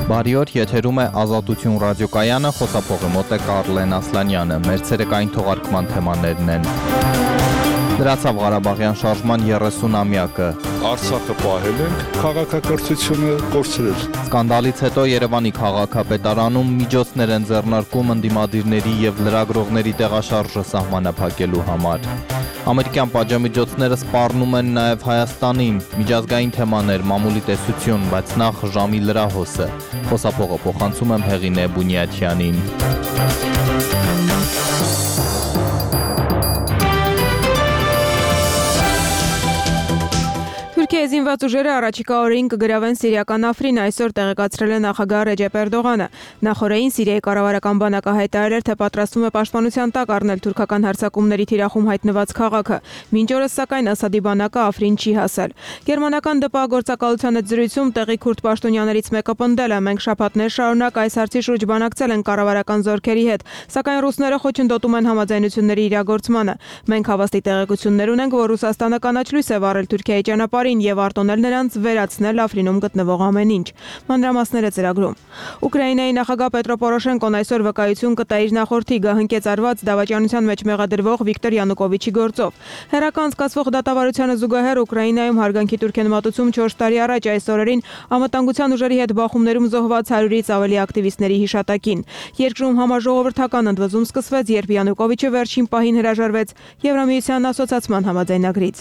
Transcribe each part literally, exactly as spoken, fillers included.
Բարի օր, եթերում է Ազատություն ռադիոկայանը, խոսափողի մոտ է Կարլեն Ասլանյանը, մեր ցերեկային թողարկման թեմաներն են. Դրացավ Ղարաբաղյան շարժման երեսունամյակը. Արցախը պահել ենք, քաղաքակրթությունը կորցրել. Սկանդալից հետո Երևանի քաղաքապետարանում միջոցներ են ձեռնարկում ընդդիմադիրների եւ լրագրողների տեղաշարժը սահմանափակելու համար. Ամերիկյան պատժամիջոցները սպառնում են նաև Հայաստանին, միջազգային թեմաներ, մամուլի տեսություն, բայց նախ ժամի լրահոսը. Խոսափողը փոխանցում եմ Հեղինե Բունյաթյանին. Թուրքիայի զինված ուժերը առաջիկա օրերին կգրավեն սիրիական Աֆրին, այսօր տեղեկացրել է նախագահ Ռեջեփ Էրդողանը. Նախորդին Սիրիայի կառավարական բանակը հայտարարել էր, թե պատրաստվում է պաշտպանության տակ առնել թուրքական հարձակումների թիրախում հայտնված քաղաքը։ Մինչ օրս սակայն Ասադի բանակը Աֆրին չի հասել։ Գերմանական ԴՊԱ գործակալության հետ զրույցում տեղի քուրդ պաշտոնյաներից մեկը պնդել է. մենք շաբաթներ շարունակ այս հարցի շուրջ բանակցել ենք կառավարական զորքերի հետ, սակայն ռուսները խոչընդոտում են համաձայնությունների իրագործմանը։ Մենք հավաստի տեղեկություններ ունենք, որ Ռուսաստանը կանաչ լույս է վառել Թուրքիայի ճանապարհին եւ արտոնել նրանց վերացնել Աֆրինում գտնվող ամեն ինչ։ Մանրամասները ծրագրում։ Ուկրաինայի նախագահ Պետրո Պորոշենկոն այսօր վկայություն կտա իր նախորդի գահընկեց արված դավաճանության մեջ մեղադրվող Վիկտոր Յանուկովիչի գործով։ Հերական զգացվող դատավարությանը զուգահեռ Ուկրաինայում հարգանքի տուրքեն մատուցում չորս տարի առաջ այս օրերին անվտանգության ուժերի հետ բախումներում զոհված հարյուրից ավելի ակտիվիստների հիշատակին։ Երկրում համաժողովրդական ընդվզում սկսվեց, երբ Յանուկովիչը վերջին պահին հրաժարվեց Եվրամիության ասոցիացիան համաձայնագրից։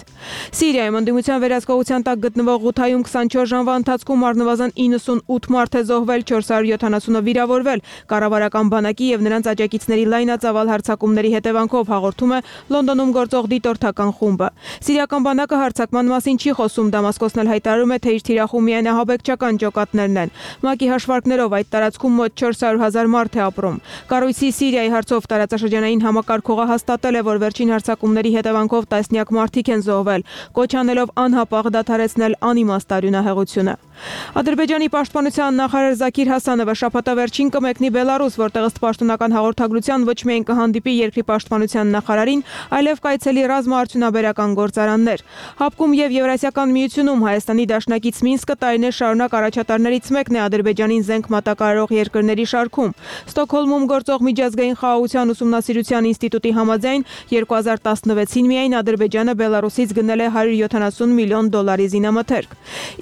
Սիրիայում ընդդիմության վերահսկողության տակ գտնվող Ղութայում քսանչորս ժամվա ընթացքում առնվազն իննսունութ մարդ է զոհվել, չորս հարյուր յոթանասունը վիրավորվել։ Կառավարական բանակի եւ նրանց աջակիցների լայնածավալ հարձակումների հետևանքով հաղորդում է Լոնդոնում գործող դիտորդական խումբը։ Սիրիական բանակը հարձակման մասին չի խոսում, Դամասկոսն էլ հայտարարում է, թե իր թիրախում միայն ահաբեկչական ջոկատներն են։ ՄԱԿ-ի հաշվարկներով այդ տարածքում մոտ չորս հարյուր հազար մարդ է ապրում։ Կառույցի Սիրիայի հարցով տարածաշրջանային համակարգողը հաստատել է, որ վերջին հարձակումների հետևանքով տասնյակ մարդիկ են զոհվել, կոչ անելով անհապաղ դադարեցնել անիմաստ արյունահեղությունը։ Ադրբեջանի պաշտպանության նախարար Զաքիր Հասանովը շաբաթավերջին կմեկնի Բելարուս, որտեղ ըստ պաշտոնական հաղորդագրության ոչ միայն կհանդիպի երկրի պաշտպանության նախարարին, այլև կայցելի ռազմաարդյունաբերական գործարաններ։ ՀԱՊԿ-ում եւ Եվրասիական միությունում Հայաստանի դաշնակից Մինսկը տարիներ շարունակ առաջատարներից մեկն է Ադրբեջանին զենք մատակարարող երկրների շարքում։ Ստոկհոլմում գործող միջազգային խաղաղության ուսումնասիրության ինստիտուտի համաձայն երկու հազար տասնվեցին միայն Ադրբեջանը Բելարուսից գնել է հարյուր յոթանասուն միլիոն դոլարի զինամթերք։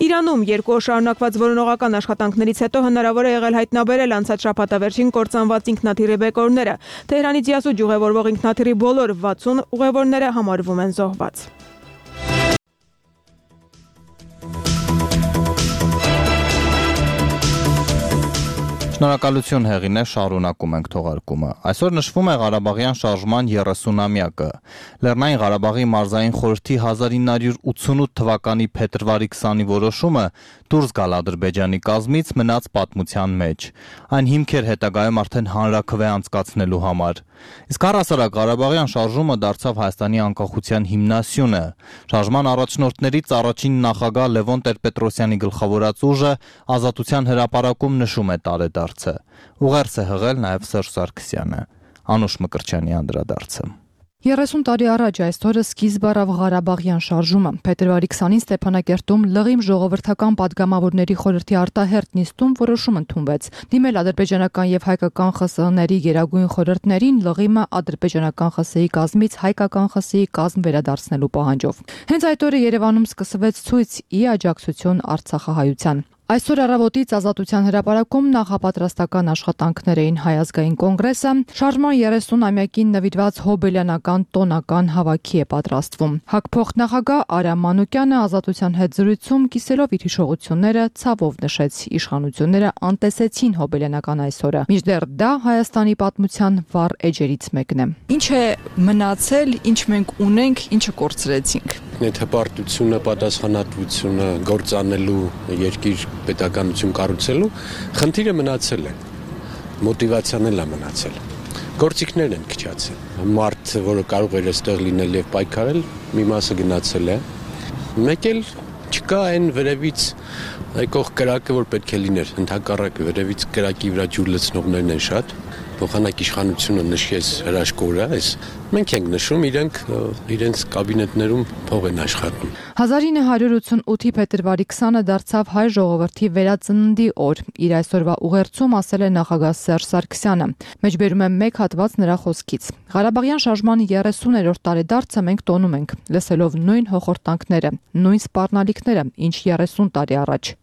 Իրանում երկու օր շարունակված որոնողական աշխատանքներից հետո հնարավոր է եղել հայտնաբերել անցած շաբաթավերջին կործանված ինքնաթիռի բեկորները։ Թեհրանից Յասուջ ուղևորվող ինքնաթիռի բոլոր վաթսուն ուղևորները համարվում են զոհված։ Շնորհակալություն Հեղինե, շարունակում ենք թողարկումը։ Այսօր նշվում է Ղարաբաղյան շարժման երեսունամյակը։ Լեռնային Ղարաբաղի մարզային խորհրդի հազար ինը հարյուր ութսունութ թվականի փետրվարի քսանի որոշումը դուրս գալ Ադրբեջանի կազմից մնաց պատմության մեջ։ Այն հիմք էր հետագայում արդեն հանրաքվե անցկացնելու համար։ Իսկ առհասարակ Ղարաբաղյան շարժումը դարձավ Հայաստանի անկախության հիմնասյունը։ Շարժման առաջնորդներից առաջին նախագահ Լևոն Տեր-Պետրոսյանի գլխավորած ուժը Ազատության հրապարակում նշում է տարեդարձը։ Ուղերձ է հղել նաև Սերժ Սարգսյանը։ Անուշ Մկրտչյանի անդրադարձը։ երեսուն տարի առաջ այս օրը սկիզբ առավ Ղարաբաղյան շարժումը։ Փետրվարի քսանին Ստեփանակերտում լղիմ ժողովրդական պատգամավորների խորհրդի արտահերթ նիստում որոշում ընդունվեց դիմել ադրբեջանական եւ հայկական ԽՍՀ-ների գերագույն խորհրդներին լղիմը ադրբեջանական ԽՍՀ-ի կազմից հայկական ԽՍՀ-ի կազմ վերադարձնելու պահանջով։ Հենց այդ օրը Երևանում սկսվեց ցույց ի աջակցություն Արցախահայության։ Այսօր առավոտից Ազատության հրապարակում նախապատրաստական աշխատանքներ էին Հայ ազգային կոնգրեսը, շարժման երեսունամյակին նվիրված հոբելյանական տոնական հավաքի է պատրաստվում։ ՀԱԿ նախագահ Արամ Մանուկյանը Ազատության հետ զրույցում կիսելով իր հիշողությունները ցավով նշեց իշխանությունները անտեսեցին հոբելյանական այսօրը։ Մինչդեռ դա Հայաստանի պատմության վառ էջերից մեկն է։ Ինչ է մնացել, ինչ մենք ունենք, ինչը կորցրեցինք։ Նեթապարտությունը, պատասխանատվությունը գործանելու երկիր պետականություն կառուցելու խնդիրը մնացել է, մոտիվացիան էլ է մնացել, գործիքներն են քչացել, մարդ, որը կարող էր այստեղ լինել եւ պայքարել, մի մասը գնացել է, մեկ էլ չկա այն վերևից եկող կրակը, որ պետք է լիներ, ընդհակառակը վերևից կրակի վրա ջուր լցնողներն են շատ, փոխանակ իշխանությունը նշեց հրաշքորը, այս մենք ենք նշում, իրենք իրենց կաբինետներում փող են աշխատում։ հազար ինը հարյուր ութսունութի փետրվարի քսանը դարձավ հայ ժողովրդի վերածննդի օր։ Իր այսօրվա ուղերձում ասել է նախագահ Սերժ Սարգսյանը։ Մեջբերում է մեկ հատված նրա խոսքից։ Ղարաբաղյան շարժման երեսուներորդ տարեդարձը մենք տոնում ենք, լսելով նույն հոխորտանքները, նույն սպառնալիքները, ինչ երեսուն տարի առաջ։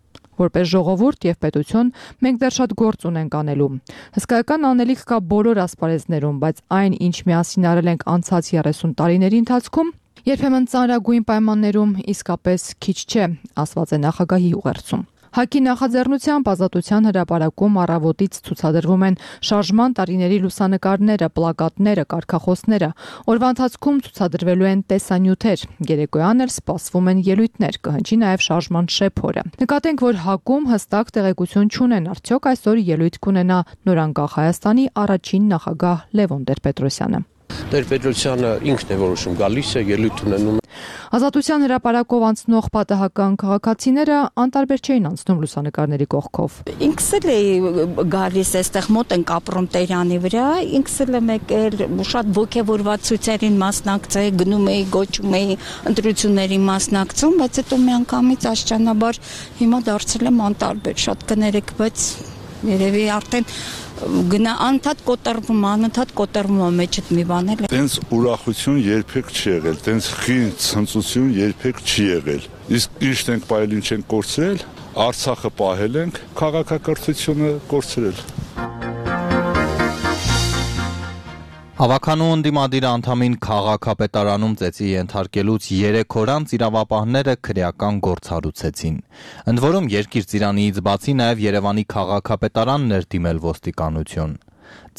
Որպես ժողովուրդ եւ պետություն մենք դեռ շատ գործ ունենք անելու։ Հսկայական անելիք կա բոլոր ասպարեզներում, բայց այն, ինչ միասին արել ենք անցած երեսուն տարիների ընթացքում, երբեմն ծանրագույն պայմաններում իսկապես քիչ չէ, ասված է նախագահի ուղերձում։ ՀԱԿ-ի նախաձեռնությամբ Ազատության հրապարակում առավոտից ցուցադրվում են շարժման տարիների լուսանկարները, պլակատները, կարգախոսները։ Օրվա ընթացքում ցուցադրվելու են տեսանյութեր։ Երեկոյան էլ սպասվում են ելույթներ, կհնչի նաև շարժման շեփորը։ Նկատենք, որ ՀԱԿ-ում հստակ տեղեկություն չունեն, արդյոք այսօր ելույթ կունենա նորանկախ Հայաստանի առաջին նախագահ Լևոն Տեր-Պետրոսյանը։ Տեր-Պետրոսյանը ինքն է որոշում, գալիս է, ելույթ ունենում։ Ազատության հրապարակով անցնող պատահական քաղաքացիները անտարբեր չէին անցնում լուսանկարների կողքով։ Ինքս էլ էի գալիս այստեղ մոտ ենք ապրում Տերյանի վրա, ինքս էլ եմ եկել շատ ոգևորված ցույցերին մասնակցել, գնում էի, գոչում էի, ընտրությունների մասնակցում, բայց հետո միանգամից աշճանաբար հիմա դարձել եմ անտարբեր, շատ կներեք, բայց երևի արդեն գնա անընդհատ կոտրվում, անընդհատ կոտրվում է մեջդ մի բան էլ։ Տենց ուրախություն երբեք չի եղել, տենց խին ցնծություն երբեք չի եղել։ Իսկ ինչ ենք պահել, ինչ ենք կորցրել, Արցախը պահել ենք, քաղաքակրթությունը կորցրել։ Հավաքանու ընդդիմադիր անդամին քաղաքապետարանում ծեծի ենթարկելուց երեք օր անց իրավապահները քրեական գործ հարուցեցին։ Ընդ որում երկիր ծիրaniից բացի նաև Երևանի քաղաքապետարանն էր դիմել ոստիկանություն։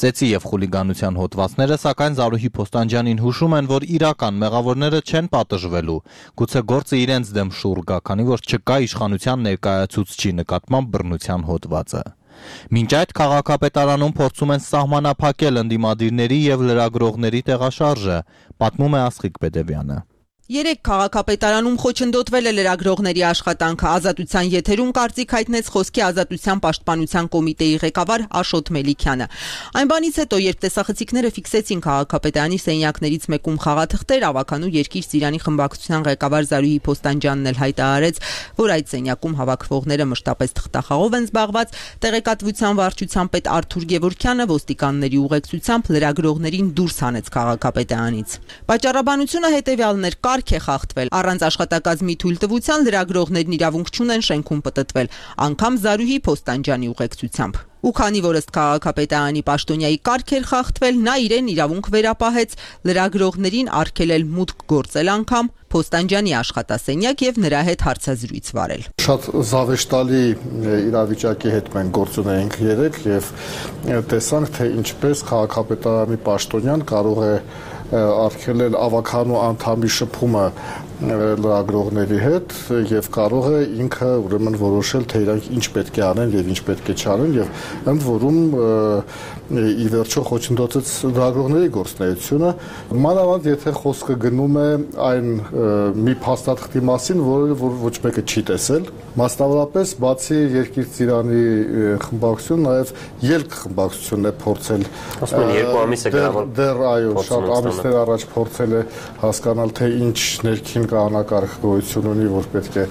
Ծեծի եւ խուլիգանության հոդվածները սակայն Զարուհի Փոստանջյանին հուշում են, որ իրական մեղավորները չեն պատժվելու, գուցե գործը իրենց դեմ շուռ գա, քանի որ չկա իշխանության ներկայացուցչի նկատմամբ բռնության հոդվածը։ Մինչ այդ քաղաքապետարանում փորձում են սահմանափակել ընդդիմադիրների եւ լրագրողների տեղաշարժը, պատմում է Աստղիկ Բեդևյանը։ Երեք քաղաքապետարանում խոչընդոտվել է լրագրողների աշխատանքը, Ազատության եթերում կարծիք հայտնեց Խոսքի ազատության պաշտպանության կոմիտեի ղեկավար Աշոտ Մելիքյանը։ Այն բանից հետո, երբ տեսախցիկները ֆիքսեցին քաղաքապետարանի սենյակներից մեկում խաղաթղթեր, ավականու Երկիր Ծիրանի խմբակցության ղեկավար Զարուհի Փոստանջյանն էլ հայտարարեց, որ այդ սենյակում հավաքվողները մշտապես թղթախաղով են զբաղված, տեղեկատվության վարչության պետ Արթուր Գևորգյանը ոստիկանների ուղեկցությամբ լրագրողներին դուրս հանեց քաղաքապետարանից։ Պատճառաբանությունը հետևյալն էր՝ կարգ է խախտվել, առանց աշխատակազմի թույլտվության լրագրողներն իրավունք չունեն շենքում պտտվել, անգամ Զարուհի Փոստանջյանի ուղեկցությամբ։ Ու քանի որ ըստ քաղաքապետարանի պաշտոնյայի կարգ էր խախտվել, նա իրեն իրավունք վերապահեց լրագրողներին արգելել մուտք գործել անգամ Փոստանջյանի աշխատասենյակ եւ նրա հետ հարցազրույց վարել։ Շատ զավեշտալի իրավիճակի հետ մենք գործ ունենք երեք եւ տեսանք, թե ինչպես քաղաքապետարանի պաշտոնյան կարող է արգելել ավականու անդամի շփումը լրագրողների հետ եւ կարող է ինքը ուրեմն որոշել, թե իրանք ինչ պետք է անեն եւ ինչ պետք է չանեն եւ ընդ որում ի վերջո խոչընդոտեց լրագրողների գործունեությունը, մանավանդ եթե խոսքը գնում է այն մի փաստաթղթի մասին, որը որ ոչ մեկը չի տեսել, մասնավորապես բացի Երկիր Ծիրանի խմբակցություն նաեւ ելք խմբակցությունն է փորձել երկու ամիս է գրավել դեռ այո շատ ամիսներ առաջ փորձել է հասկանալ, թե ինչ ներքին կանոնակարգ գոյություն ունի, որ պետք է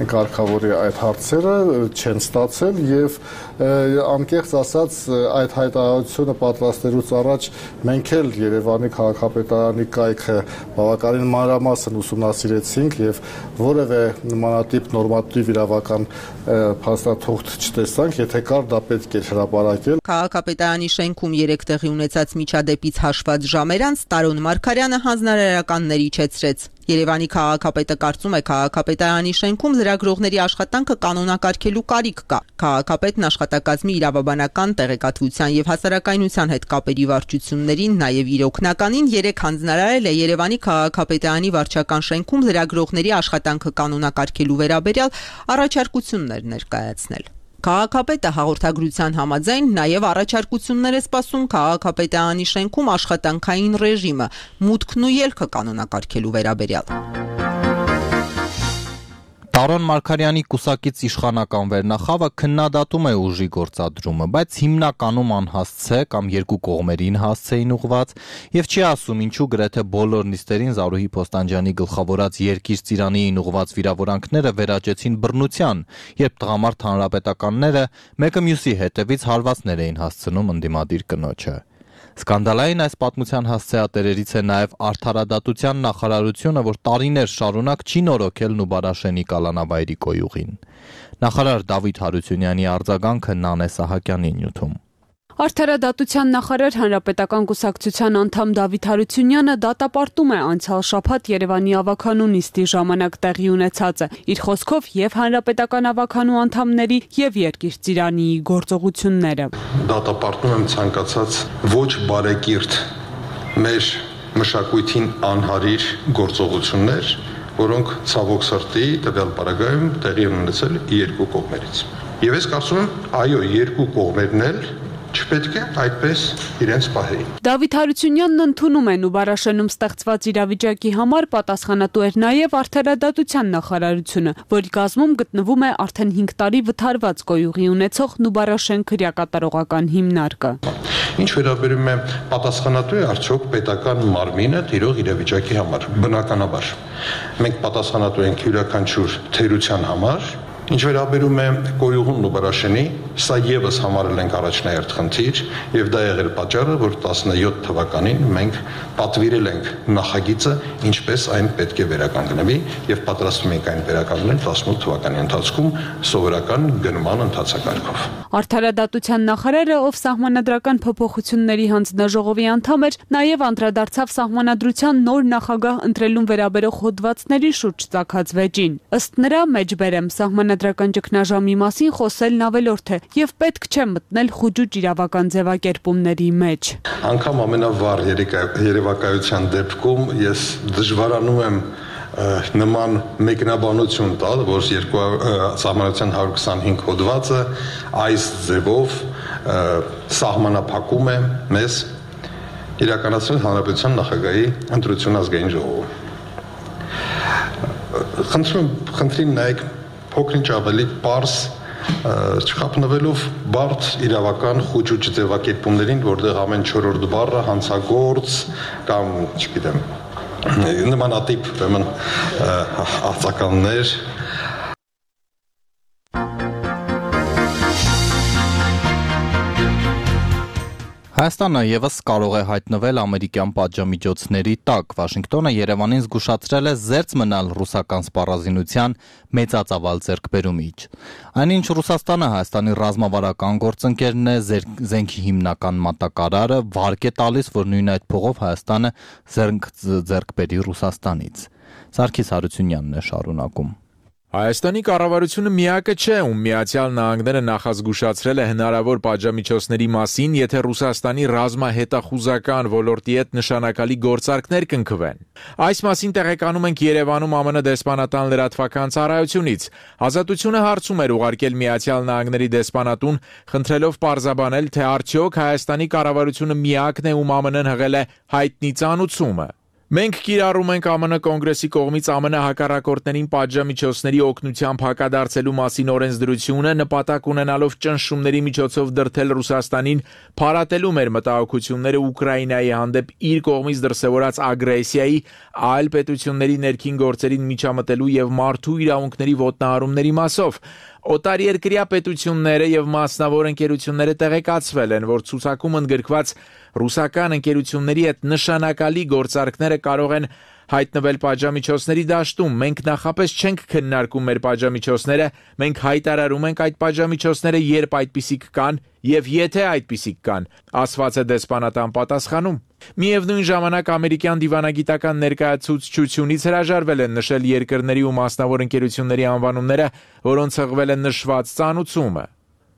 կարգավորի այդ հարցերը, չեն ստացել եւ անկեղծ ասած այդ հայտարարությունը պատրաստելուց առաջ մենք էլ Երևանի քաղաքապետարանի կայքը բավականին մանրամասն ուսումնասիրեցինք եւ որևէ նմանատիպ նորմատիվ իրավական փաստաթուղթ չտեսանք, եթե կար դա պետք է հրապարակել։ Քաղաքապետարանի շենքում երեք տեղի ունեցած միջադեպից հաշված ժամեր անց Տարոն Մարգարյանը հանձնարարականների իջեցրեց։ Երևանի քաղաքապետը կարծում է քաղաքապետարանի շենքում լրագրողների աշխատանքը կանոնակարգելու կարիք կա։ Քաղաքապետն աշխատակազմի իրավաբանական տեղեկատվության եւ հասարակայնության հետ կապերի վարչություններին, նաեւ իր օգնականին երեք հանձնարարել է Երևանի քաղաքապետարանի վարչական շենքում լրագրողների աշխատանքը կանոնակարգելու վերաբերյալ առաջարկություններ ներկայացնել։ Քաղաքապետը հաղորդագրության համաձայն նաև առաջարկություններ է սպասում քաղաքապետարանի շենքում աշխատանքային ռեժիմը, մուտքն ու ելքը կանոնակարգելու վերաբերյալ։ Տարոն Մարգարյանի կուսակից իշխանական վերնախավը քննադատում է ուժի գործադրումը, բայց հիմնականում անհասց է կամ երկու կողմերին հասց էին ուղված եւ չի ասում ինչու գրեթե բոլոր նիստերին Զարուհի Փոստանջյանի գլխավորած երկիր ծիրանիին ուղված վիրավորանքները վերաճեցին բռնության, երբ տղամարդ հանրապետականները մեկը մյուսի հետևից հարվածներ էին հասցնում ընդդիմադիր կնոջը։ Սկանդալային այս պատմության հասցեատերերից է նաև արդարադատության նախարարությունը, որ տարիներ շարունակ չի նորոգել Նուբարաշենի կալանավայրի կոյուղին։ Նախարար Դավիթ Հարությունյանի արձագանքը Նանե Սահակյանի նյութում։ Արդարադատության նախարար Հանրապետական կուսակցության անդամ Դավիթ Հարությունյանը դատապարտում է անցյալ շաբաթ Երևանի ավականու նիստի ժամանակ տեղի ունեցածը, իր խոսքով եւ Հանրապետական ավականու անդամների եւ Երկիր ծիրանիի գործողությունները։ Դատապարտում եմ ցանկացած ոչ բարեկիրթ մեր մշակույթին անհարիր գործողություններ, որոնք ցավոք սրտի տվյալ պարագայում տեղի են ունեցել երկու կողմերից։ Եվ ես կարծում եմ, այո, երկու կողմերն էլ չպետք է այդպես իրենց պահեին։ Դավիթ Հարությունյանն ընդունում է Նուբարաշենում ստեղծված իրավիճակի համար պատասխանատու էր նաև արդարադատության նախարարությունը, որի կազմում գտնվում է արդեն հինգ տարի վթարված կոյուղի ունեցող Նուբարաշեն քրեակատարողական հիմնարկը։ Ինչ վերաբերում է պատասխանատու է արդյոք պետական մարմինը տիրող իրավիճակի համար։ Բնականաբար մենք պատասխանատու ենք յուրաքանչյուր թերության համար։ Ինչ վերաբերում է կոյուղուն Նուբարաշենի, սա եւս համարել ենք առաջնահերթ խնդիր եւ դա եղել պատճառը, որ տասնյոթ թվականին մենք պատվիրել ենք նախագիծը, ինչպես այն պետք է վերականգնվի եւ պատրաստվում ենք այն վերականգնել տասնութ թվականի ընթացքում սովորական գնման ընթացակարգով։ Արդարադատության նախարարը, ով սահմանադրական փոփոխությունների հանձնաժողովի անդամ էր, նաեւ անդրադարձավ սահմանադրության նոր նախագահ ընտրելուն վերաբերող հոդվածների շուրջ ծագած վեճին։ Ըստ նրա, մեջբերեմ սահմանադրական ճգնաժամի մասին խոսելն ավելորդ է եւ պետք չէ մտնել խուճուճ իրավական ձևակերպումների մեջ։ Անկամ ամենավառ երևակայության դեպքում ես դժվարանում եմ նման մեկնաբանություն տալ, որ սահմանադրության հարյուր քսանհինգ հոդվածը այս ձևով սահմանափակում է մեզ իրականացնել հանրապետության նախագահի ընտրություն ազգային ժողովում։ Խնդրում խնդրին նայեք փոքրինչ ավելի պարզ չխափնվելով բարդ իրավական խուճուճ ձևակերպումներին, որտեղ ամեն չորրորդ բառը հանցագործ կամ, չգիտեմ, նմանատիպ ուրեմն արձականներ։ Հայաստանը եւս կարող է հայտնվել ամերիկյան պատժամիջոցների տակ։ Վաշինգտոնը Երևանին զգուշացրել է զերծ մնալ ռուսական սպառազինության մեծածավալ ձեռքբերումից։ Այնինչ Ռուսաստանը Հայաստանի ռազմավարական գործընկերն է, զենքի հիմնական մատակարարը, վարկ է տալիս, որ նույն այդ փողով Հայաստանը զենք ձեռք բերի Ռուսաստանից։ Սարգիս Հարությունյանն է շարունակում։ Հայաստանի կառավարությունը միակը չէ, ում Միացյալ Նահանգները նախազգուշացրել է հնարավոր պատժամիջոցների մասին, եթե Ռուսաստանի ռազմահետախուզական ոլորտի հետ նշանակալի գործարքներ կնքվեն։ Այս մասին տեղեկանում ենք Երևանում ԱՄՆ դեսպանատան լրատվական ծառայությունից։ Ազատությունը հարցում էր ուղարկել Միացյալ Նահանգների դեսպանատուն, խնդրելով պարզաբանել, թե արդյոք Հայաստանի կառավարությունը միակն է, ում ԱՄՆ-ն հղել է հայտնի ծանուցումը։ Մենք կիրառում ենք ԱՄՆ կոնգրեսի կողմից ԱՄՆ հակառակորդներին պատժամիջոցների օգնությամբ հակադարձելու մասին օրենսդրությունը, նպատակ ունենալով ճնշումների միջոցով դրդել Ռուսաստանին փարատելու մեր մտահոգությունները Ուկրաինայի հանդեպ իր կողմից դրսևորած ագրեսիայի, այլ պետությունների ներքին գործերին միջամտելու եւ մարդու իրավունքների ոտնահարումների մասով։ Օտարերկրյա պետությունները եւ մասնավոր ընկերությունները տեղեկացվել են, որ ցուցակում ընդգրկված ռուսական ընկերությունների հետ նշանակալի գործարքները կարող են հայտնվել պատժամիջոցների դաշտում։ Մենք նախապես չենք քննարկում մեր պատժամիջոցները, մենք հայտարարում ենք այդ պատժամիջոցները, երբ այդպիսիք կան եւ եթե այդպիսիք կան, ասված է դեսպանատան պատասխանում։ Միևնույն ժամանակ ամերիկյան դիվանագիտական ներկայացուցչությունից հրաժարվել են նշել երկրների ու մասնավոր ընկերությունների անվանումները, որոնց հղվել է նշված ծանուցումը։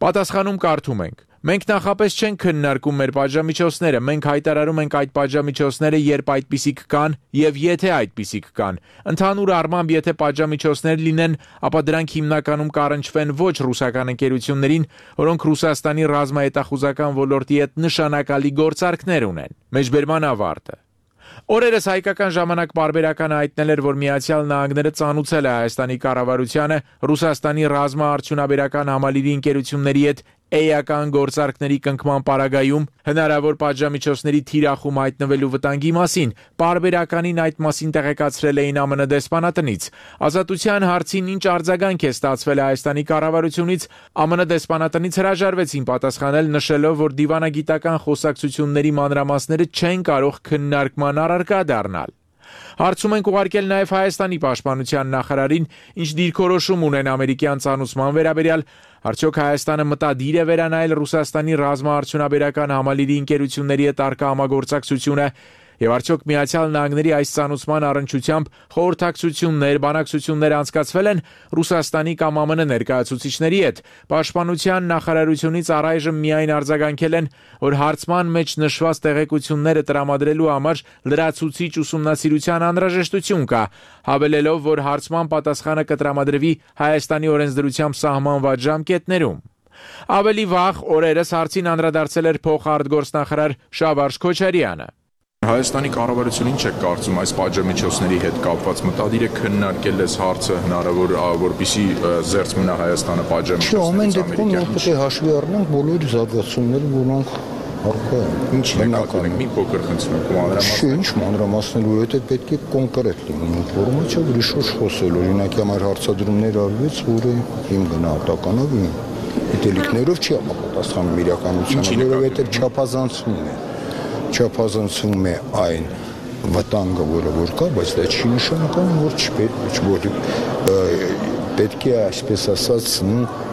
Պատասխանում կարդում ենք. Մենք նախապես չենք քննարկում մեր պատժամիջոցները, մենք հայտարարում ենք այդ պատժամիջոցները, երբ այդպիսիք կան եւ եթե այդպիսիք կան։ Ընդհանուր առմամբ, եթե պատժամիջոցներ լինեն, ապա դրանք հիմնականում կառնչվեն ոչ ռուսական ընկերություններին, որոնք Ռուսաստանի ռազմահետախուզական ոլորտի հետ նշանակալի գործարքներ ունեն։ Մեջբերման ավարտը։ Օրերս հայկական ժամանակ պարբերական հայտնել էր, որ Միացյալ Նահանգները ծանուցել է Հայաստանի կառավարությանը Ռուսաստանի ռազմաարդյունաբերական համալիրի ընկերությունների հետ էական գործարքների կնքման պարագայում հնարավոր պատժամիջոցների թիրախում հայտնվելու վտանգի մասին, պարբերականին այդ մասին տեղեկացրել էին ԱՄՆ դեսպանատնից։ Ազատության հարցին ինչ արձագանք է ստացվել Հայաստանի կառավարությունից, ԱՄՆ դեսպանատնից հրաժարվեցին պատասխանել, նշելով, որ դիվանագիտական խոսակցությունների մանրամասները չեն կարող քննարկման առարկա դառնալ։ Հարցում ենք ուղարկել նաև Հայաստանի պաշտպանության նախարարին, ինչ դիրքորոշում ունեն ամերիկյան ծանուցման վերաբերյալ, արդյոք Հայաստանը մտադիր է վերանայել Ռուսաստանի ռազմաարդյունաբերական համալիրի ընկերությունների հետ առկա համագործակցությունը, եւ արդյոք Միացյալ Նահանգների այս ծանուցման առնչությամբ խորհրդակցություններ, բանակցություններ անցկացվել են Ռուսաստանի կամ ԱՄՆ ներկայացուցիչների հետ։ Պաշտպանության նախարարությունից առայժմ միայն արձագանքել են, որ հարցման մեջ նշված տեղեկությունները տրամադրելու համար լրացուցիչ ուսումնասիրության անհրաժեշտություն կա, հավելելով, որ հարցման պատասխանը կտրամադրվի Հայաստանի օրենսդրությամբ սահմանված ժամկետներում։ Ավելի վաղ օրերս հարցին անդրադարձել էր փոխարտգործնախարար Շավարժ Քոչարյանը։ Հայաստանի կառավարությունն ինչ է կարծում այս պատժամիջոցների հետ կապված, մտադիր է քննարկել այս հարցը հնարավոր որպեսզի զերծ մնա Հայաստանը պատժամիջոցներից։ Ամեն դեպքում մենք պետք է հաշվի առնենք բոլոր զարգացումները, որոնք առկա են։ Ինչ հնարավոր է։ Մի փոքր խնդրում եմ մանրամասնել։ Ինչ մանրամասնել, որովհետև պետք է կոնկրետ լինի ինֆորմացիա, ուրիշ խոսել, օրինակ համար հարցադրումներ արվեց, որը իմ գնահատականով իմ դիտելիքներով չի համապատասխանում իրականությանը, որովհետև չափազանցվում է։ Չափազանցվում է այն վտանգը, որը որ կա, բայց դա չի նշանակում, որ չպետք որ պետք է այսպես ասած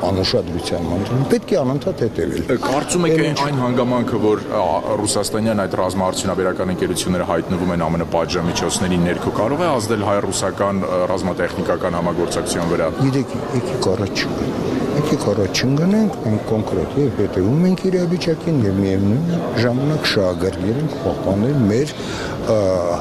անուշադրության մանրում պետք է անընդհատ հետևել։ Կարծում եք այն հանգամանքը, որ ռուսաստանյան այդ ռազմաարդյունաբերական ընկերությունները հայտնվում են ԱՄՆ պատժամիջոցների ներքո, կարող է ազդել հայ-ռուսական ռազմատեխնիկական համագործակցության վրա։ Գիտեք, եկեք առաջ եկեք առաջ չընկնենք, մենք կոնկրետ եւ հետեւում ենք իրավիճակին եւ միևնույն ժամանակ շահագրգիռ ենք պահպանել մեր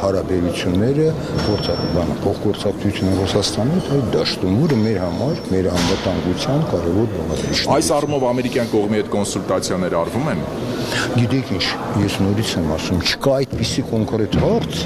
հարաբերությունները գործակցության փոխգործակցությունը Ռուսաստանի հետ այդ դաշտում, որը մեր համար մեր անվտանգության կարևոր բաղադրիչն է։ Այս առումով ամերիկյան կողմի հետ կոնսուլտացիաներ արվում են։ Գիտեք ինչ, ես նորից եմ ասում, չկա այդպիսի կոնկրետ հարց,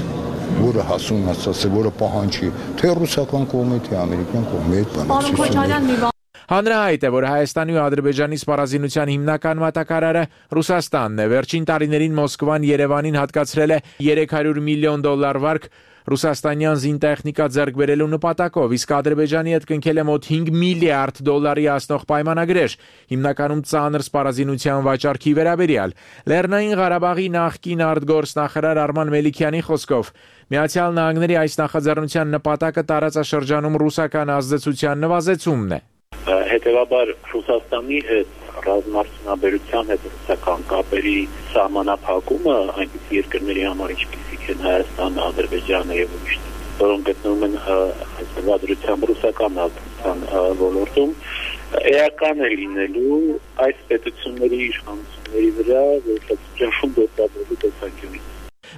որը հասունացած է, որը պահանջի թե ռուսական կողմի, թե ամերիկյան կողմի հետ բանակցություններ։ Հանրահայտ է, որ Հայաստանի ու Ադրբեջանի սպառազինության հիմնական մատակարարը Ռուսաստանն է։ Վերջին տարիներին Մոսկվան Երևանին հատկացրել է երեք հարյուր միլիոն դոլար վարկ ռուսաստանյան զինտեխնիկա ձեռք բերելու նպատակով, իսկ Ադրբեջանի հետ կնքել է մոտ հինգ միլիարդ դոլարի հասնող պայմանագրեր, հիմնականում ծանր սպառազինության վաճառքի վերաբերյալ։ Լեռնային Ղարաբաղի նախկին արտգործնախարար Արման Մելիքյանի խոսքով Միացյալ Նահանգների այս նախաձեռնության նպատակը տարածաշրջանում ռուսական ազդեցության նվազեցումն է։ Հետևաբար Ռուսաստանի հետ ռազմաարդյունաբերության հետ ռուսական կապերի սահմանափակումը այնպիսի երկրների համար, ինչպիսիք են Հայաստանը, Ադրբեջանը եւ ուրիշներ, որոնք գտնվում են այսօրվա դրությամբ ռուսական ազդեցության ոլորտում, էական է լինելու այս պետությունների իշխանությունների վրա, որոշակի դեպքերի տեսանկյունից։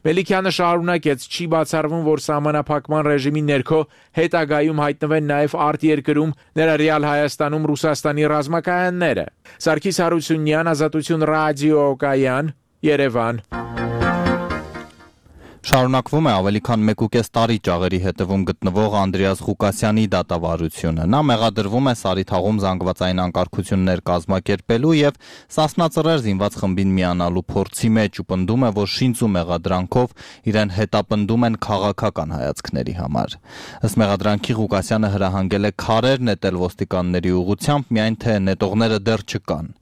Մելիքյանը շարունակեց, չի բացառվում, որ սահմանափակման ռեժիմի ներքո հետագայում հայտնվեն նաև արտերկրում, ներառյալ Հայաստանում Ռուսաստանի ռազմակայանները։ Սարգիս Հարությունյան, Ազատություն ռադիոկայան, Երևան։ Շարունակվում է ավելի քան մեկուկես տարի ճաղերի հետևում գտնվող Անդրեաս Ղուկասյանի դատավարությունը։ Նա մեղադրվում է Սարիթաղում զանգվածային անկարգություններ կազմակերպելու եւ Սասնա Ծռեր զինված խմբին միանալու փորձի մեջ ու պնդում է, որ շինծ ու մեղադրանքով իրեն հետապնդում են քաղաքական հայացքների համար։ Ըստ մեղադրանքի Ղուկասյանը հրահանգել է քարեր նետել ոստիկանների ուղղությամբ, միայն թե նետողները դեռ չկան։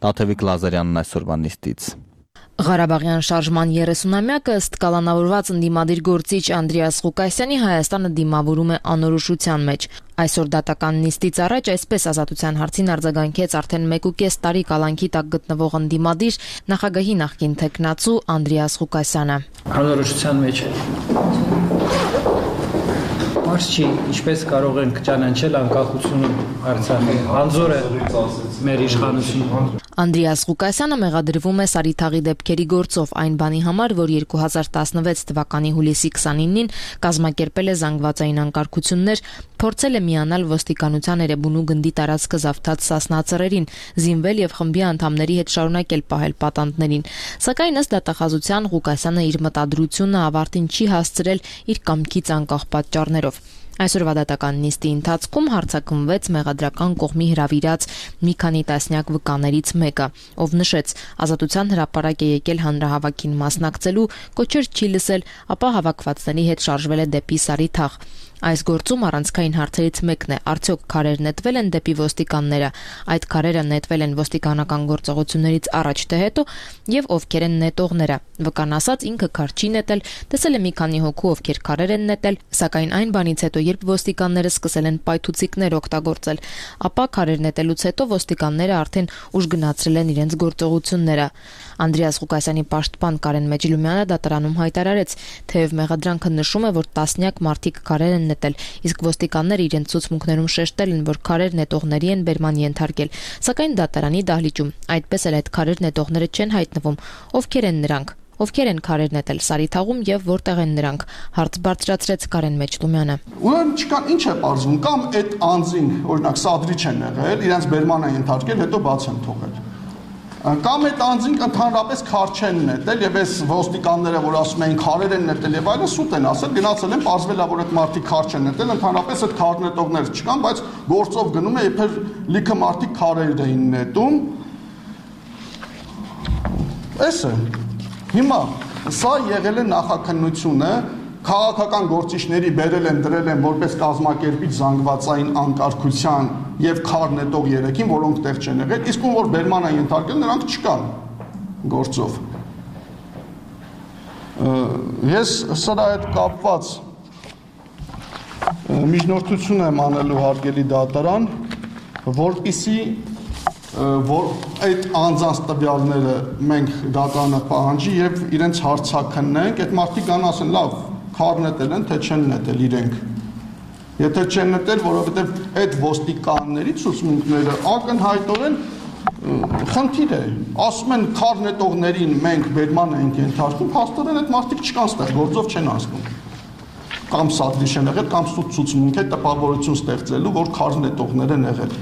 Տաթևիկ Լազարյանն այսօրվա նիստից։ Ղարաբաղյան շարժման երեսունամյակը ըստ կալանավորված ընդդիմադիր գործիչ Անդրեաս Ղուկասյանի Հայաստանը դիմավորում է անորոշության մեջ։ Այսօր դատական նիստից առաջ այսպես Ազատության հարցին արձագանքեց արդեն մեկուկես տարի կալանքի տակ գտնվող ընդդիմադիր նախագահի նախկին թեկնածու Անդրեաս Ղուկասյանը։ Անորոշության մեջ է։ Մարդ չի, ինչպես կարող ենք ճանաչել անկախությունը Արցախի։ Անձոր է մեր իշխանությունը։ Անդրեաս Ղուկասյանը մեղադրվում է Սարիթաղի դեպքերի գործով այն բանի համար, որ երկու հազար տասնվեց թվականի հուլիսի քսանինին կազմակերպել է զանգվածային անկարգություններ, փորձել է միանալ ոստիկանության Էրեբունու գնդի տարածքը զավթած սասնա զինվել եւ խմբի անդամների հետ շարունակել պահել պատանդներին։ Սակայն ըստ դատախազության Ղուկասյանը իր մտադրությունը ավարտին չի հասցրել իր կամքից անկախ պատճառներով։ Այսօրվա դատական նիստի ընթացքում հարձակվեց մեղադրական կողմի հրավիրած մի քանի տասնյակ վկաներից մեկը, ով նշեց, ազատության հրապարակ է եկել հանրահավաքին մասնակցելու, կոչեր չի լսել, ապա հավաքվածների հետ շարժվել է դեպի Սարիթաղ։ Այս գործում առանցքային հարցերից մեկն է, արդյոք քարեր նետվել են դեպի ոստիկանները, այդ քարերը նետվել են ոստիկանական գործողություններից առաջ թե հետո եւ ովքեր են նետողները։ Վկան ասած ինքը քար չի նետել, տեսել է մի քանի հոգու, ովքեր քարեր են նետել, սակայն այն բանից հետո, երբ ոստիկանները սկսել են պայթուցիկներ օգտագործել, ապա քարեր նետելուց հետո ոստիկանները արդեն ուժ գնացրել են իրենց գործողությունները։ Անդրեաս Ղուկասյանի պաշտպան Կարեն Մեջլումյանը դատարանում հայտարարեց, թեև մեղադրանքը նշում է, որ տասնյակ մարդիկ քարեր են նետել, իսկ ոստիկանները իրենց ցուցմունքներում շեշտել են, որ քարեր նետողների են բերման ենթարկել, սակայն դատարանի դահլիճում այդպես էլ այդ քարեր նետողները չեն հայտնվում, ովքեր են նրանք, ովքեր են քարեր նետել Սարիթաղում եւ որտեղ են նրանք, հարց բարձրացրեց Կարեն Մեջլումյանը։ Ուրեմն չկան, ինչ է պարզվում, կամ այդ անձին, օրինակ սադրիչ են եղել, իրենց բերման են ենթարկել, հետո բաց են թողել։ Կամ այդ անձին ընդհանրապես քար չեն նետել եւ այս ոստիկանները, որ ասում էին քարեր են նետել եւ այլն, սուտ են ասել, գնացել են, պարզվել է, որ այդ մարդիկ քար չեն նետել, ընդհանրապես այդ քար նետողներ չկան, բայց գործով գնում է, իբր լիքը մարդիկ քարեր էին նետում։ Էս է։ Հիմա սա եղել է նախաքննությունը, քաղաքական գործիչների բերել են, դրել են որպես կազմակերպիչ զանգվածային անկարգության եւ քար նետող երեքին, որոնք տեղ չեն եղել, իսկ ում որ բերման են ենթարկել, նրանք չկան գործով։ Ես սրա հետ կապված միջնորդություն եմ անելու հարգելի դատարան, որպիսի որ այդ անձանց տվյալները մենք դատարանը պահանջի եւ իրենց հարցաքննենք, այդ մարդիկ կան ասեն, լավ, քար նետել են, թե չեն նետել իրենք։ Եթե չեն նետել, որովհետեւ այդ ոստիկանների ցուցմունքները ակնհայտորեն խնդիր է։ Ասում են քար նետողներին մենք բերման ենք ենթարկում, փաստորեն այդ մարդիկ չկան ստեղ, գործով չեն անցնում։ Կամ սադրիչ են եղել, կամ սուտ ցուցմունք է տպավորություն ստեղծելու, որ քար նետողներ են եղել։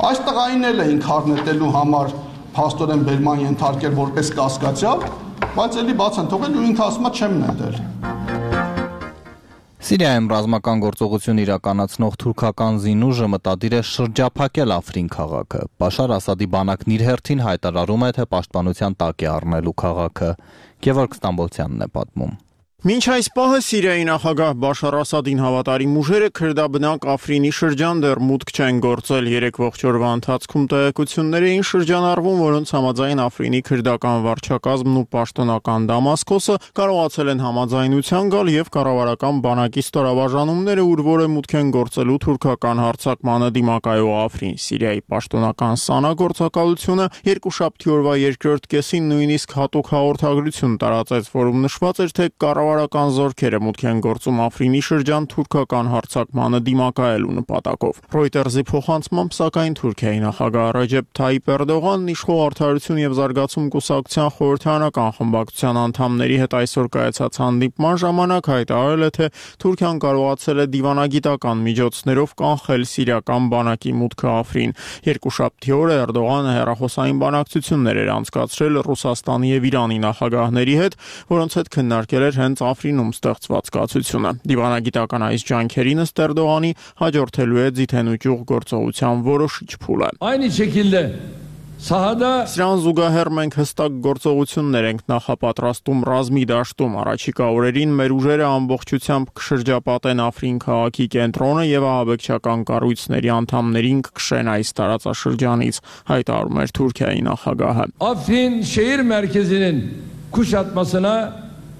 Այստեղ այն էլ էին քար նետելու համար փաստորեն բերման ենթարկել որպես կասկածյալ, բայց էլի բաց են թողել ու ինքը ասում է չեմ նետել։ Սիրիայում ռազմական գործողություն իրականացնող թուրքական զինուժը մտադիր է շրջափակել Աֆրին քաղաքը։ Բաշար Ասադի բանակն իր հերթին հայտարարում է, թե պաշտպանության տակ է առնելու քաղաքը։ Գևորգ Ստամբոլցյանն է պատմում։ Մինչ այս պահը Սիրիայի նախագահ Բաշար Ասադին հավատարիմ ուժերը քրդաբնակ Աֆրինի շրջան դեռ մուտք չեն գործել։ Երեք ողջ օրվա ընթացքում տեղեկություններ էին շրջանառվում, որոնց համաձայն Աֆրինի քրդական վարչակազմն ու պաշտոնական Դամասկոսը կարողացել են համաձայնության գալ եւ կառավարական բանակի ստորաբաժանումները ուր որ է մուտք են գործելու թուրքական հարձակմանը դիմակայող Աֆրին։ Սիրիայի պաշտոնական Սանա գործակալությունը երկուշաբթի օրվա երկրորդ կեսին նույնիսկ հատուկ հաղորդագրություն տարածեց, որում նշված էր, թե կառավարական զորքերը մուտք են գործում Աֆրինի շրջան թուրքական հարձակմանը դիմակայելու նպատակով։ Reuters-ի փոխանցմամբ, սակայն Թուրքիայի նախագահ Ռեջեփ Թայիփ Էրդողանն իշխող Արդարություն եւ Զարգացում կուսակցության խորհրդարանական խմբակցության անդամների հետ այսօր կայացած հանդիպման ժամանակ հայտարարել է, թե Թուրքիան կարողացել է դիվանագիտական միջոցներով կանխել սիրիական բանակի մուտքը Աֆրին։ Երկուշաբթի օրը Էրդողանը հեռախոսային բանակցություններ էր անցկացրել Ռուսաստանի եւ Իրանի նախագահների հետ, որոնց հետ քննարկել էր հենց Աֆրինում ստեղծված կացությունը։ Դիվանագիտական այս ջանքերին ըստ Էրդողանի հաջորդելու է ձիթենուճյուղ գործողության որոշիչ փուլը։ Aynı şekilde sahada Սրան զուգահեռ մենք հստակ գործողություններ ենք նախապատրաստում ռազմի դաշտում։ Առաջիկա օրերին մեր ուժերը ամբողջությամբ կշրջապատեն Աֆրին քաղաքի կենտրոնը եւ ահաբեկչական կառույցների անդամներին կքշեն այս տարածաշրջանից, հայտարարում էր Թուրքիայի նախագահը։ Afrin şehir merkezinin kuşatmasına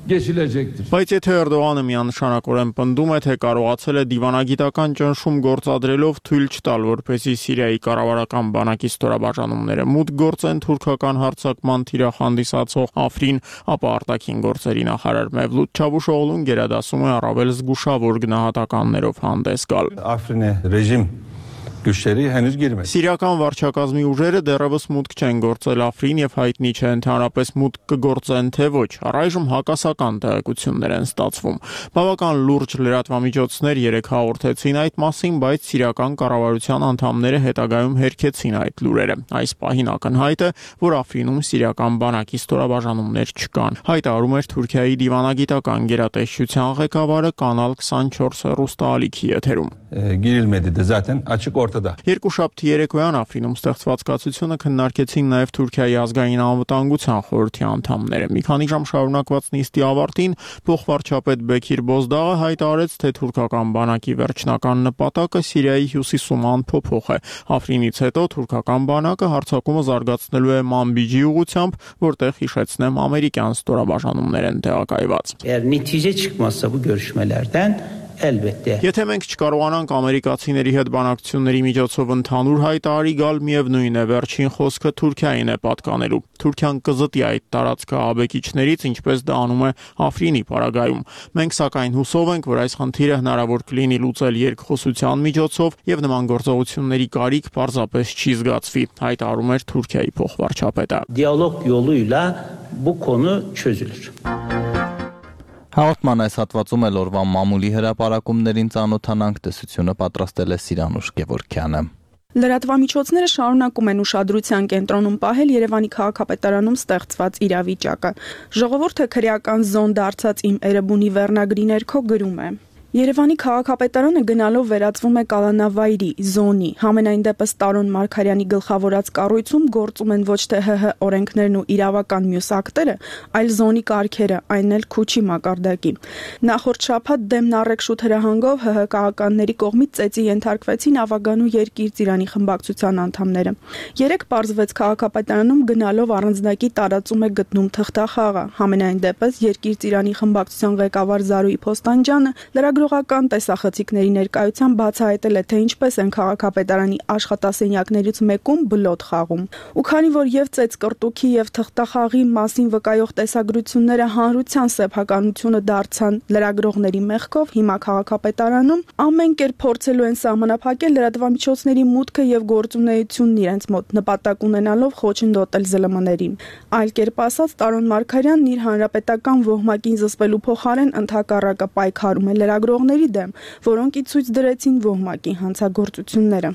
geçilecektir. Բայց եթե Էրդողանը միանշանակորեն պնդում է, թե կարողացել է դիվանագիտական ճնշում գործադրելով թույլ չտալ, որպեսզի Սիրիայի կառավարական բանակի ստորաբաժանումները մուտք գործեն թուրքական հարձակման թիրախ հանդիսացող Աֆրին, ապա արտաքին գործերի նախարար Մևլութ Չավուշօղլուն գերադասում է առավել զգուշավոր գնահատականներով հանդես գալ։ Աֆրինի ռեժիմ güçleri henüz girmedi. Սիրիական վարչակազմի ուժերը դեռևս մուտք չեն գործել Աֆրին եւ հայտնի չէ ընդհանրապես մուտք կգործեն թե ոչ։ Առայժմ հակասական տեղեկություններ են ստացվում։ Բավական լուրջ լրատվամիջոցներ երեք հաղորդեցին այդ մասին, բայց սիրիական կառավարության անդամները հետագայում հերքեցին այդ լուրերը։ Այս պահին ակնհայտ է, որ Աֆրինում սիրիական բանակի ստորաբաժանումներ չկան։ Հայտարարում էր Թուրքիայի դիվանագիտական գերատեսչության ղեկավարը Կանալ twenty-four հեռուստաալիքի եթերում։ Girilmedi de zaten açık ortada. Երկուշաբթի երեկոյան Աֆրինում ստեղծված կացությունը քննարկեցին նաև Թուրքիայի ազգային անվտանգության խորհրդի անդամները։ Մի քանի ժամ շարունակված նիստի ավարտին փոխվարչապետ Բեքիր Բոզդաղը հայտարարեց, թե թուրքական բանակի վերջնական նպատակը Սիրիայի հյուսիսում անփոփոխ է։ Աֆրինից հետո թուրքական բանակը հարձակումը զարգացնելու է Մանբիջի ուղղությամբ, որտեղ հիշեցնեմ ամերիկյան ստորաբաժանումներ են տեղակայված։ Eğer netice çıkmazsa bu görüşmelerden elbette. Եթե մենք չկարողանանք ամերիկացիների հետ բանակցությունների միջոցով ընդհանուր հայտարարի գալ, միևնույն է վերջին խոսքը Թուրքիային է պատկանելու։ Թուրքիան կզտի այդ տարածքը աբեկիչներից, ինչպես դա անում է Աֆրինի պարագայում։ Մենք սակայն հուսով ենք, որ այս խնդիրը հնարավոր կլինի լուծել երկխոսության միջոցով եւ նման գործողությունների կարիք պարզապես չի զգացվի, հայտարարում էր Թուրքիայի փոխվարչապետը։ Diyalog yoluyla bu konu çözülür. Հաղորդման այս հատվածում էլ օրվա մամուլի հրապարակումներին ծանոթանանք, տեսությունը պատրաստել է Սիրանուշ Գևորգյանը։ Լրատվամիջոցները շարունակում են ուշադրության կենտրոնում պահել Երևանի քաղաքապետարանում ստեղծված իրավիճակը։ Ժողովուրդը քրեական զոն դարձած իմ Էրեբունի վերնագրի ներքո գրում է. Երևանի քաղաքապետարանը գնալով վերածվում է կալանավայրի, զոնի, համենայն դեպս Տարոն Մարգարյանի գլխավորած կառույցում գործում են ոչ թե ՀՀ օրենքներն ու իրավական մյուս ակտերը, այլ զոնի կարգերը, այն էլ Քուչի մակարդակի։ Նախորդ շաբաթ դեմն առեկ-շուտ հրահանգով ՀՀ քաղաքականների կողմից ծեծի ենթարկվեցին Ավագանու երկիր ծիրանի խմբակցության անդամները։ Երեք պարզվեց քաղաքապետարանում գնալով առանձնակի տարածում է գտնում թղթախաղը, համենայն դեպս երկիր ծիրանի խմբակցության ղեկավար Զարուհի Փոստանջյանը լրագրողական տեսախցիկների ներկայությամբ բացահայտել է, թե ինչպես են քաղաքապետարանի աշխատասենյակներից մեկում բլոտ խաղում։ Ու քանի որ եւ ծեծ կրտուքի եւ թղթախաղի մասին վկայող տեսագրությունները հանրության սեփականությունը դարձան լրագրողների մեղքով, հիմա քաղաքապետարանում ամեն կերպ փորձելու են սահմանափակել լրատվամիջոցների մուտքը եւ գործունեությունն իրենց մոտ, նպատակ ունենալով խոչընդոտել ԶԼՄ-ներին։ Այլ կերպ ասած, Տարոն Մարգարյանն իր հանրապետական ոհմակին զսպելու փոխարեն ընդհակառակը պայքարում է լրագրողների դեմ, որոնք ի ցույց դրեցին ոհմակի հանցագործությունները։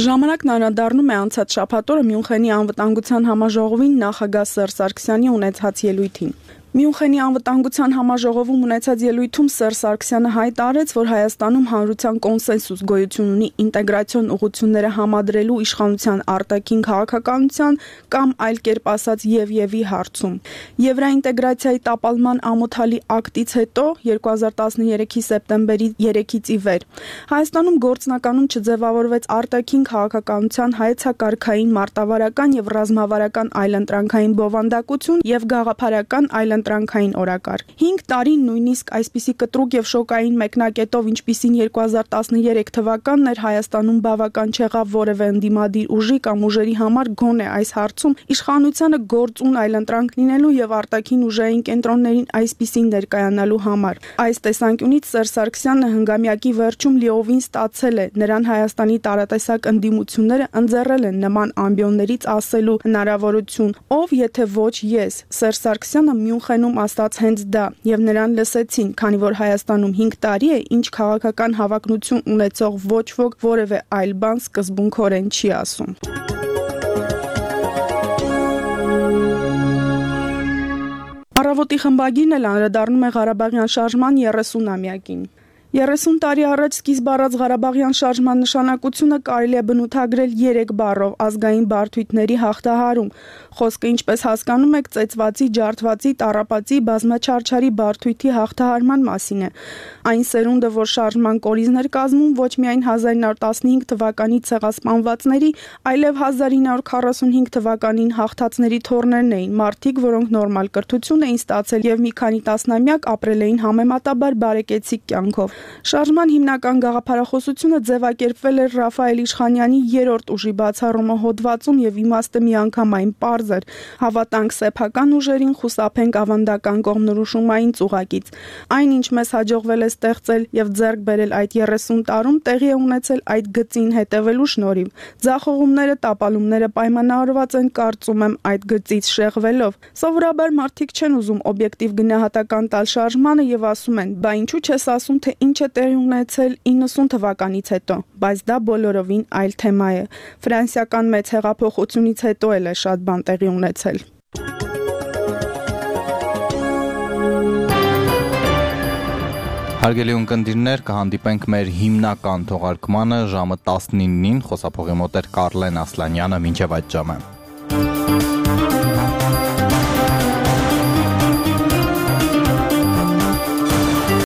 Ժամանակն անդրադառնում է անցած շաբաթօրը Մյունխենի անվտանգության համաժողովին նախագահ Սերժ Սարգսյանի ունեցած ելույթին։ Մյունխենի անվտանգության համաժողովում ունեցած ելույթում Սերժ Սարգսյանը հայտարարեց, որ Հայաստանում հանրության կոնսենսուս գոյություն ունի ինտեգրացիոն ուղղությունները համադրելու իշխանության արտաքին քաղաքականության կամ այլ կերպ ասած եւ-եւի հարցում։ Եվրոինտեգրացիայի տապալման ամոթալի ակտից հետո երկու հազար տասներեքի սեպտեմբերի երեքից ի վեր Հայաստանում գործնականում չձևավորվեց արտաքին քաղաքականության հայեցակարգային մարտավարական եւ ռազմավարական այլընտրանքային բովանդակություն եւ գաղափարական այլ տրանկային օրակարգ։ հինգ տարի նույնիսկ այսպիսի կտրուկ եւ շոկային մեկնակետով, ինչպիսին երկու հազար տասներեք թվականն էր, Հայաստանում բավական չեղավ որևէ ընդդիմադիր ուժի կամ ուժերի համար գոնե այս հարցում իշխանությանը գործուն այլընտրանք լինելու եւ արտաքին ուժային կենտրոններին այսպիսին ներկայանալու համար։ Այս տեսանկյունից Սերժ Սարգսյանը հնգամյակի վերջում լիովին ստացել է, նրան Հայաստանի տարատեսակ ընդդիմությունները ընձեռել են նման ամբիոններից ասելու հնարավորություն, ով եթե ոչ ես։ Սերժ Սարգսյանը Մյունխենում ասաց հենց դա եւ նրան լսեցին, քանի որ Հայաստանում հինգ տարի է, ինչ քաղաքական հավակնություն ունեցող ոչ ոք որևէ այլ բան սկզբունքորեն չի ասում։ Առավոտի խմբագիրն էլ անդրադառնում է Ղարաբաղյան շարժման երեսունամյակին։ երեսուն տարի առաջ սկիզբ առած Ղարաբաղյան շարժման նշանակությունը կարելի է բնութագրել երեք բառով՝ ազգային բարդույթների հաղթահարում։ Խոսքը, ինչպես հասկանում եք, ծեծվածի, ջարդվածի, տառապածի, բազմաչարչարի բարդույթի հաղթահարման մասին է։ Այն սերունդը, որ շարժման կորիզներ կազմում ոչ միայն հազար ինը հարյուր տասնհինգ թվականի ցեղասպանվածների, այլև հազար ինը հարյուր քառասունհինգ թվականին հաղթածների թոռներն էին, մարդիկ, որոնք նորմալ կրթություն էին ստացել եւ մի քանի տասնամյակ ապրել էին համեմատաբար բարեկեցիկ կյանքով։ Շարժման հիմնական գաղափարախոսությունը ձևակերպվել էր Ռաֆայել Իշխանյանի երրորդ ուժի բացառումը հոդվածում եւ իմաստը միանգամայն պարզ էր. հավատանք սեփական ուժերին, խուսափենք ավանդական կողմնորոշումային ծուղակից։ Այն, ինչ մեզ հաջողվել է ստեղծել եւ ձեռք բերել այդ երեսուն տարում, տեղի է ունեցել այդ գծին հետևելու շնորհիվ։ Ձախողումները, տապալումները պայմանավորված են, կարծում եմ, այդ գծից շեղվելով։ Սովորաբար մարդիկ չեն ուզում օբյեկտիվ գնահատական տալ շարժմանը եւ ասում են. «Բա ինչու՞ չես ասում, թե ինչ է տեղի ունեցել իննսուն թվականից հետո», բայց դա բոլորովին այլ թեմա է։ Ֆրանսիական մեծ հեղափոխությունից հետո էլ է շատ բան տեղի ունեցել։ Հարգելի ունկնդիրներ, կհանդիպենք մեր հիմնական թողարկմանը ժամը տասնինին, խոսափողի մոտ էր Կարլեն Ասլանյանը, մինչև այդ ժամը։